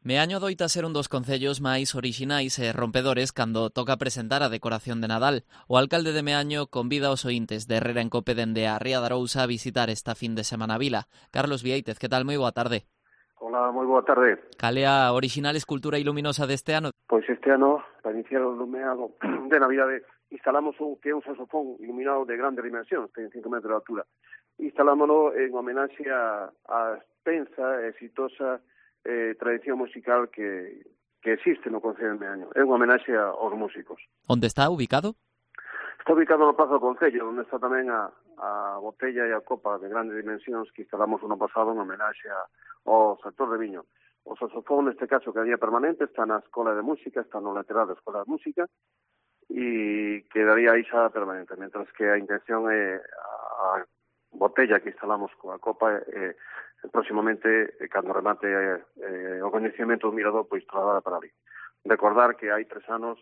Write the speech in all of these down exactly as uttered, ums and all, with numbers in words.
Meaño doita ser un dos concellos máis orixinais e rompedores cando toca presentar a decoración de Nadal. O alcalde de Meaño convida os ointes de Herrera en Cope dende a Ría de Arousa a visitar esta fin de semana a vila. Carlos Vieitez, que tal? Moi boa tarde. Hola, moi boa tarde. Cal é a orixinal escultura iluminosa deste ano? Pois este ano, para iniciar o lumeado de Navidade, instalamos un que é un saxofón iluminado de grandes dimensións, ten cinco metros de altura. Instalámoslo en homenaxe a, a extensa e exitosa eh, tradición musical que, que existe no Concello de Meaño. É unha homenaxe aos músicos. Onde está ubicado? Está ubicado no Praza do Concello, onde está tamén a, a botella e a copa de grandes dimensións que instalamos o ano pasado en homenaxe a, ao sector de viño. O saxofón, neste caso, que é permanente, está na Escola de Música, está no lateral da Escola de Música, e quedaría aí xa permanente, mentras que a intención é a botella que instalamos coa copa eh, próximamente, eh, cando remate eh, o coñecemento do mirador, pois trasladada para ali. Recordar que hai tres anos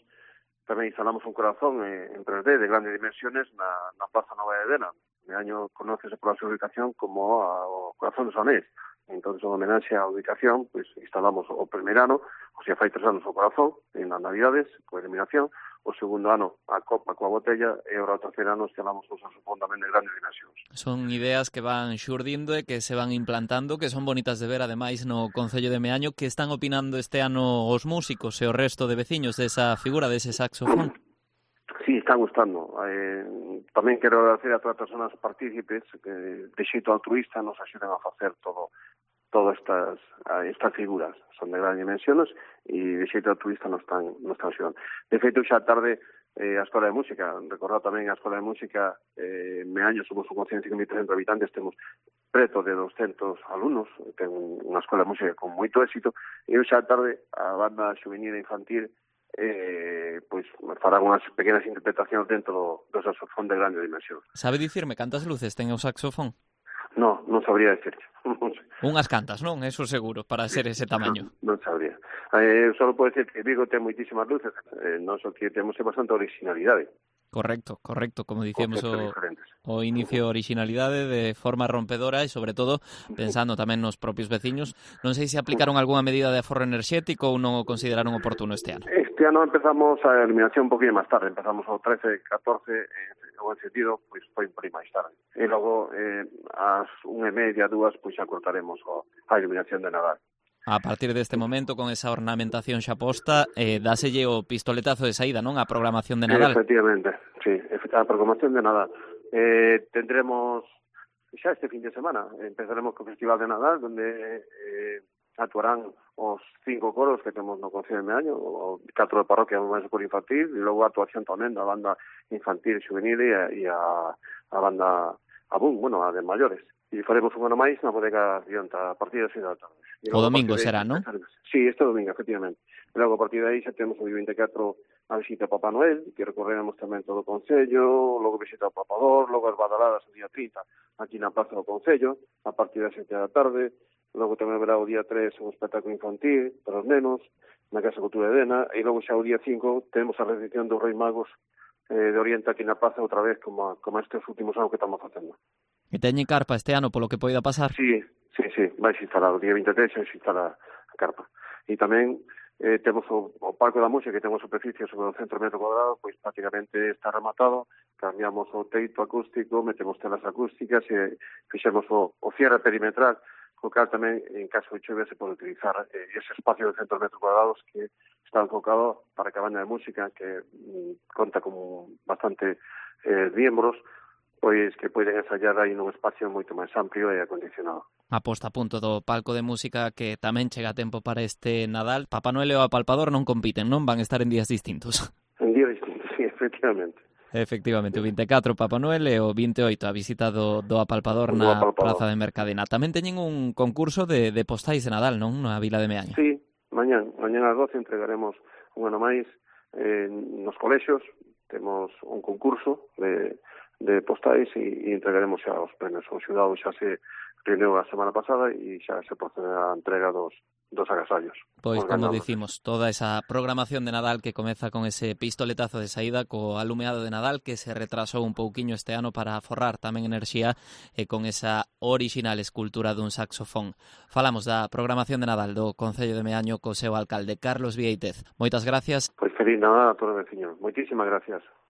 tamén instalamos un corazón eh, en tres D de grandes dimensiones na, na Plaza Nova de Dena. De año conócese por a súa ubicación como a, o Corazón dos Anés. Entón, en homenaxe á ubicación, pois instalamos o primeiro ano, o sea, fai tres anos o corazón, en as Navidades, coa iluminación, o segundo ano a copa coa botella, e agora o terceiro ano instalamos o saxofón tamén de grandes dimensións. Son ideas que van xurdindo e que se van implantando, que son bonitas de ver, ademais, no Concello de Meaño. Que están opinando este ano os músicos e o resto de veciños desa figura, dese saxofón? Sí, está gustando. Eh, tamén quero agradecer a todas as persoas partícipes que de xeito altruista nos axudan a facer todo todas estas estas figuras. Son de grandes dimensiones e de xeito altruista nos están, nos están axudando. De feito, xa tarde eh, a Escola de Música, recordar tamén a Escola de Música, eh, Meaño somos un concello de cinco mil trescentos habitantes, temos preto de doscentos alumnos, ten unha Escola de Música con moito éxito, e xa tarde a banda juvenil e infantil eh, pois farán unhas pequenas interpretacións dentro do, do saxofón de grande dimensión. Sabe dicirme cantas luces ten o saxofón? No, non sabría decirte. Unhas cantas, non? Eso seguro, para ser ese tamaño. Non, non sabría. Eh, só podo decir que Vigo ten moitísimas luces, eh, non só que temos bastante originalidade. Correcto, correcto, como dicíamos o, diferentes. o inicio, originalidade de forma rompedora e, sobre todo, pensando tamén nos propios veciños. Non sei se aplicaron algunha medida de aforro enerxético ou non o consideraron oportuno este ano. Este ano empezamos a eliminación un poquinho máis tarde, empezamos o trece, catorce, eh, o sentido, pois foi un poquinho máis tarde. E logo, eh, ás unha e media, dúas, pois xa cortaremos o, a iluminación de Nadal. A partir deste momento, con esa ornamentación xa posta, eh, dáselle o pistoletazo de saída, non? A programación de Nadal. Efectivamente, sí, a programación de Nadal. Eh, tendremos xa este fin de semana, empezaremos co Festival de Nadal, donde eh, actuarán os cinco coros que temos no Concello de Meaño, o catro de parroquia máis por infantil, e logo a actuación tamén da banda infantil juvenil e a, e a, a banda a boom, bueno, a de maiores. E faremos un ano máis na bodega Rionta a partir das seis da tarde. O domingo será, non? Sí, este domingo, efectivamente. E logo a partir de aí xa temos o día veinticuatro a visita a Papá Noel, que recorreremos tamén todo o Concello, logo visita ao Papador, logo as badaladas o día trinta aquí na Plaza do Concello, a partir das sete da tarde, logo tamén haberá o día tres un espectáculo infantil para os nenos, na Casa Cultura de Dena, e logo xa o día cinco temos a recepción dos Reis Magos eh, de Oriente aquí na Plaza outra vez, como, como estes últimos anos que estamos facendo. E teñen carpa este ano polo que poida pasar? Sí, sí, sí, vai se instalar o día veintitrés, se instala a carpa. E tamén eh, temos o, o Parco da Música, que temos superficie sobre o centro metro cuadrado, pois prácticamente está rematado, cambiamos o teito acústico, metemos telas acústicas e fixemos o, o cierre perimetral, co cal tamén, en caso de chuvia, se pode utilizar eh, ese espacio de centros metros cuadrados que está enfocado para que a banda de música, que mm, conta con bastante eh, miembros, pois que poden ensayar aí nun espacio moito máis amplio e acondicionado. A posta a punto do palco de música, que tamén chega a tempo para este Nadal. Papá Noel e o Apalpador non compiten, non? Van estar en días distintos. En días distintos, sí, efectivamente. Efectivamente, o veinticuatro Papá Noel e o veintioito a visita do, do Apalpador na Apalpador. Praza de Mercadena. Tamén teñen un concurso de, de postais de Nadal, non? Na Vila de Meaño. Sí, mañán, mañán ás doce entregaremos un ano máis eh, nos colexios. Temos un concurso de de postais e, e entregaremos xa os premios. O xudado xa se reuniu a semana pasada e xa se procede a entrega dos, dos agasallos. Pois, como dicimos, toda esa programación de Nadal que comeza con ese pistoletazo de saída co alumeado de Nadal que se retrasou un pouquiño este ano para aforrar tamén enerxía e con esa orixinal escultura dun saxofón. Falamos da programación de Nadal do Concello de Meaño co seu alcalde Carlos Vieitez. Moitas gracias. Pois feliz Nadal a todos os veciños. Moitísimas gracias.